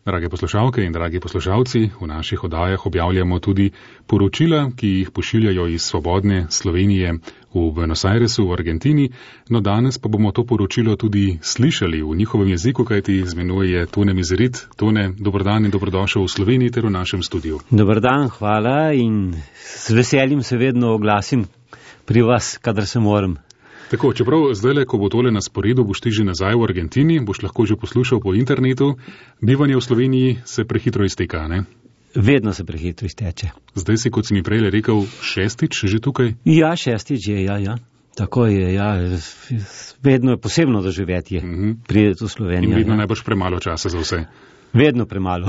Drage poslušalke in dragi poslušalci, v naših oddajah objavljamo tudi poročila, ki jih pošiljajo iz svobodne Slovenije v Buenos Airesu v Argentini, no danes pa bomo to poročilo tudi slišali v njihovem jeziku, kajti z menoj je Tone Mizerit. Tone, dober dan in dobrodošel v Sloveniji ter v našem studiu. Dober dan, hvala in z veseljem se vedno oglasim pri vas, kadar se moram. Tako, čeprav zdajle, ko bo tole na sporedu, boš ti že nazaj v Argentini, boš lahko že poslušal po internetu, bivanje v Sloveniji se prehitro izteka, ne? Vedno se prehitro izteče. Zdaj si, kot si mi prej rekel, šestič že tukaj? Ja, šestič je, ja. Tako je, ja. Vedno je posebno doživetje prideti v Slovenijo. In vedno najbrž premalo časa za vse. Vedno premalo.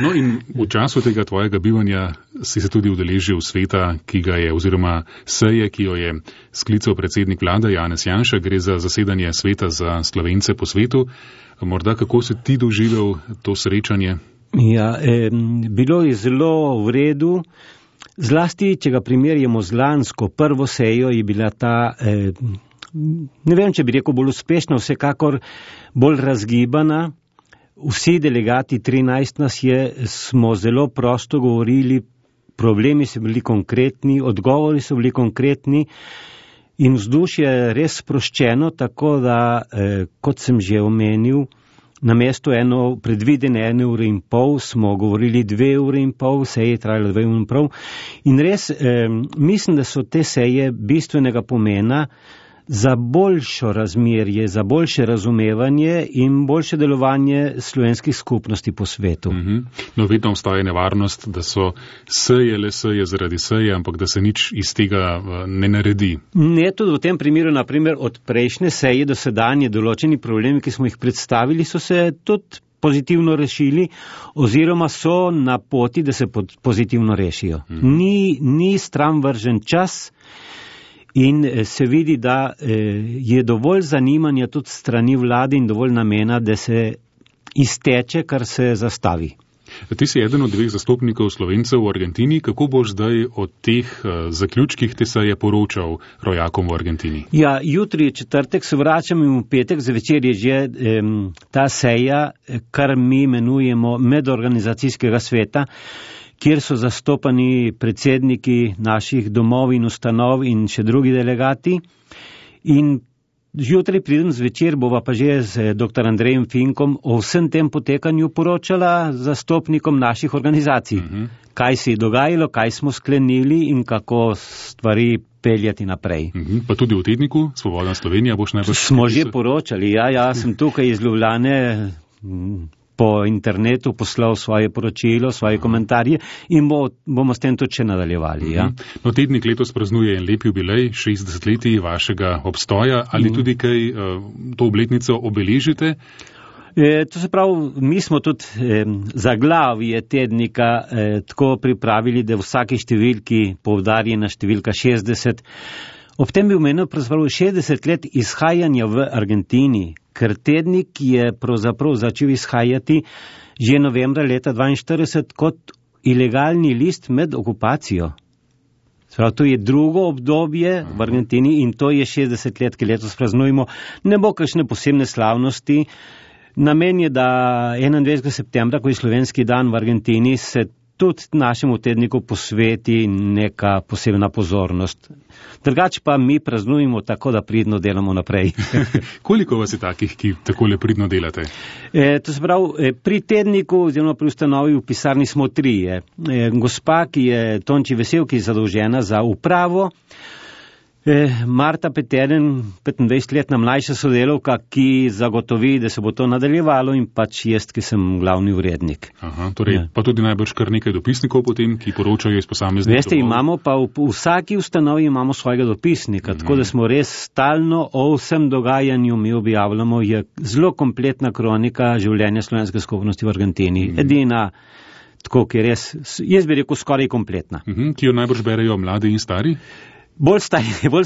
No in v času tega tvojega bivanja si se tudi udeležil sveta, ki ga je, oziroma seje, ki jo je sklical predsednik vlade Janez Janša, gre za zasedanje sveta za Slovence po svetu. Morda kako si ti doživel to srečanje? Ja, bilo je zelo v redu. Zlasti, če ga primerjamo z lansko prvo sejo, je bila ta, ne vem, če bi rekel bolj uspešna, vsekakor bolj razgibana. Vsi delegati, 13 nas je, smo zelo prosto govorili, problemi so bili konkretni, odgovori so bili konkretni in vzdušje je res sproščeno, tako da, kot sem že omenil, namesto predvidene 1 ure in pol smo govorili 2 ure in pol, seje je trajalo 2 ure in pol. In res mislim, da so te seje bistvenega pomena za boljšo razmerje, za boljše razumevanje in boljše delovanje slovenskih skupnosti po svetu. No, vedno obstaja nevarnost, da so seje le seje zaradi seje, ampak da se nič iz tega ne naredi. Ne, tudi v tem primeru, naprimer, od prejšnje seje do sedanje določeni problemi, ki smo jih predstavili, so se tudi pozitivno rešili oziroma so na poti, da se pozitivno rešijo. Ni stran vržen čas. In se vidi, da je dovolj zanimanja tudi strani vlade in dovolj namena, da se izteče, kar se zastavi. Ti si eden od 2 zastopnikov Slovencev v Argentini. Kako boš zdaj o teh zaključkih te seje poročal rojakom v Argentini? Ja, jutri je četrtek, se vračam in v petek zvečer je že ta seja, kar mi imenujemo medorganizacijskega sveta, kjer so zastopani predsedniki naših domov in ustanov in še drugi delegati. In jutri pridem zvečer, bova pa že z dr. Andrejem Finkom o vsem tem potekanju poročala zastopnikom naših organizacij. Kaj se je dogajalo, kaj smo sklenili in kako stvari peljati naprej. Pa tudi v tedniku Svobodna Slovenija boš najbrž... Smo že poročali, ja, sem tukaj iz Ljubljane po internetu poslal svoje poročilo, svoje komentarje in bomo s tem tudi še nadaljevali. Ja. No, tednik letos praznuje en lep jubilej, 60 leti vašega obstoja. Ali tudi kaj to obletnico obeležite? To se pravi, mi smo tudi zaglavje tednika tako pripravili, da v vsaki številki poudarjena številka 60. Ob tem bi omenil pravzaprav 60 let izhajanja v Argentini, ker tednik je pravzaprav začel izhajati že novembra leta 1942 kot ilegalni list med okupacijo. Sprav, to je drugo obdobje v Argentini in to je 60 let, ki letos praznujemo. Ne bo kakšne posebne slavnosti. Namen je, da 21. septembra, ko je slovenski dan v Argentini, se tudi našemu tedniku posveti neka posebna pozornost. Drugače pa mi praznujemo tako, da pridno delamo naprej. Koliko vas je takih, ki takole pridno delate? To se pravi, pri tedniku oziroma pri ustanovi v pisarni smo 3. Gospa, ki je Tonči Vesel, ki je zadolžena za upravo, Marta Peteren, 25-letna mlajša sodelavka, ki zagotovi, da se bo to nadaljevalo, in pač jaz, ki sem glavni urednik. Torej, pa tudi najbrž kar nekaj dopisnikov potem, ki poročajo iz posameznih domov. Veste, imamo pa v vsaki ustanovi imamo svojega dopisnika, tako da smo res stalno o vsem dogajanju mi objavljamo, je zelo kompletna kronika življenja slovenske skupnosti v Argentini. Edina, tako, ki je res, jaz bi rekel, skoraj kompletna. Ki jo najbrž berejo mladi in stari? Bolj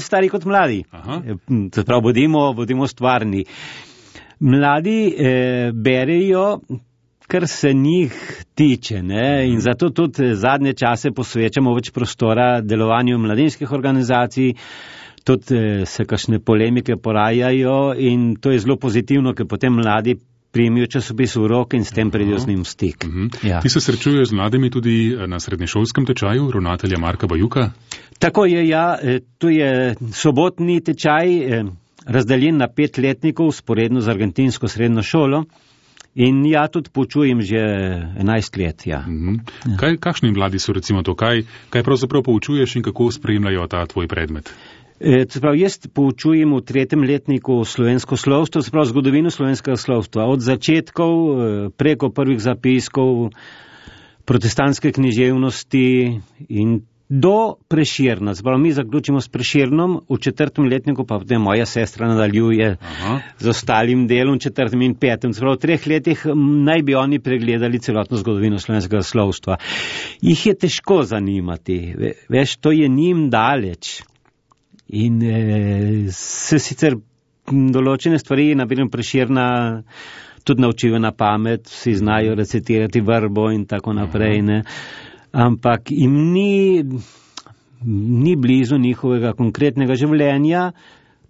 stari kot mladi. Prav, bodimo stvarni. Mladi berejo, kar se njih tiče, ne? In zato tudi zadnje čase posvečamo več prostora delovanju mladinskih organizacij, tudi se kakšne polemike porajajo in to je zelo pozitivno, ker potem mladi primijo časopis v roke in s tem pridejo z njim v stik. Ja. Ti se srečuješ z mladimi tudi na srednješolskem tečaju ravnatelja Marka Bajuka? Tako je, ja. Tu je sobotni tečaj razdeljen na 5 letnikov, sporedno z argentinsko srednjo šolo. In ja, tudi poučujem že 11 let, ja. Ja. Kakšni mladi so recimo to? Kaj pravzaprav poučuješ in kako spremljajo ta tvoj predmet? Jaz poučujem v 3. letniku slovensko slovstvo, zgodovino slovenskega slovstva. Od začetkov, preko prvih zapiskov, protestantske književnosti in do Prešerna. Mi zaključimo s Prešernom, v 4. letniku pa potem moja sestra nadaljuje z ostalim delom, 4. in 5. V 3 letih naj bi oni pregledali celotno zgodovino slovenskega slovstva. Jih je težko zanimati, veš, to je njim daleč. In se sicer določene stvari, naprimer Prešerna, tudi naučijo na pamet, vsi znajo recitirati vrbo in tako naprej, ne. Ampak jim ni blizu njihovega konkretnega življenja,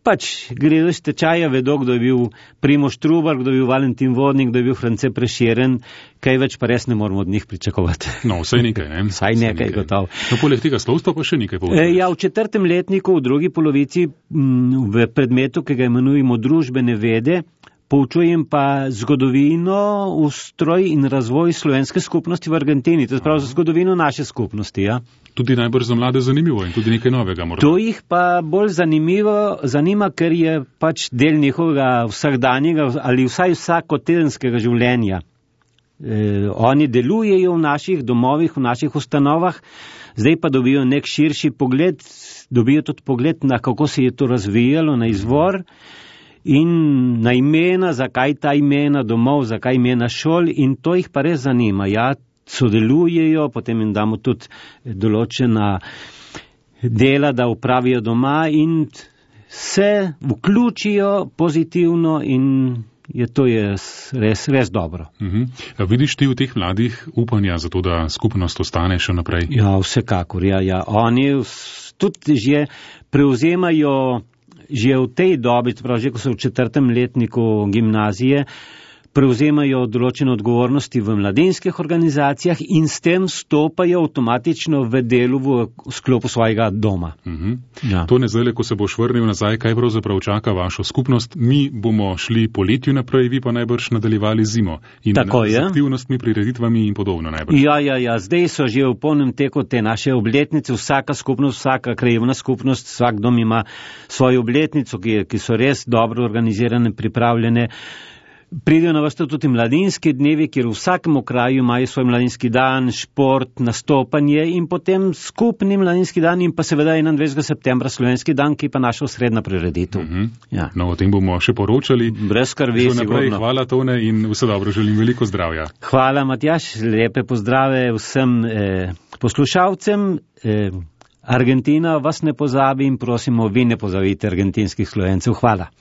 pač gredo iz tečaja, vedo, kdo je bil Primož Trubar, kdo je bil Valentin Vodnik, kdo je bil France Prešeren, kaj več pa res ne moramo od njih pričakovati. No, vsaj nekaj, ne? Vsaj nekaj, gotovo. No, poleg tega slovstva pa še nekaj poučuješ. Ja, v 4. letniku, v drugi polovici, v predmetu, ki ga imenujemo družbene vede, poučujem pa zgodovino, ustroj in razvoj slovenske skupnosti v Argentini, to je prav za zgodovino naše skupnosti, ja. Tudi najbrž za mlade zanimivo in tudi nekaj novega morda. To jih pa bolj zanima, ker je pač del njihovega vsakdanjega ali vsaj vsakotedenskega življenja. Oni delujejo v naših domovih, v naših ustanovah, zdaj pa dobijo nek širši pogled, dobijo tudi pogled na kako se je to razvijalo, na izvor in na imena, zakaj ta imena domov, zakaj imena šol in to jih pa res zanima, ja. Sodelujejo, potem jim damo tudi določena dela, da upravijo doma in se vključijo pozitivno in to je res dobro. Vidiš ti v teh mladih upanja za to, da skupnost ostane še naprej? Ja, vsekakor, ja. Oni tudi že prevzemajo že v tej dobi, že ko so v 4. letniku gimnazije, prevzemajo določene odgovornosti v mladinskih organizacijah in s tem stopajo avtomatično v delu v sklopu svojega doma. Ja. To ne zdaj, ko se boš vrnil nazaj, kaj pravzaprav čaka vašo skupnost? Mi bomo šli poletju naprej, vi pa najbrž nadaljevali zimo. In tako je. Z aktivnostmi, prireditvami in podobno najbrž. Ja. Zdaj so že v polnem teku te naše obletnice, vsaka skupnost, vsaka krajevna skupnost, vsak dom ima svojo obletnico, ki so res dobro organizirane, pripravljene. Pridejo na vrsto tudi mladinski dnevi, kjer v vsakem kraju imajo svoj mladinski dan, šport, nastopanje in potem skupni mladinski dan in pa seveda 21. septembra slovenski dan, ki pa naša osrednja prireditev. Ja. No, o tem bomo še poročali. Brez skrbi, sigurno. Hvala, Tone, in vse dobro, želim veliko zdravja. Hvala, Matjaž, lepe pozdrave vsem poslušalcem. Argentina vas ne pozabi in prosimo, vi ne pozabite argentinskih Slovencev. Hvala.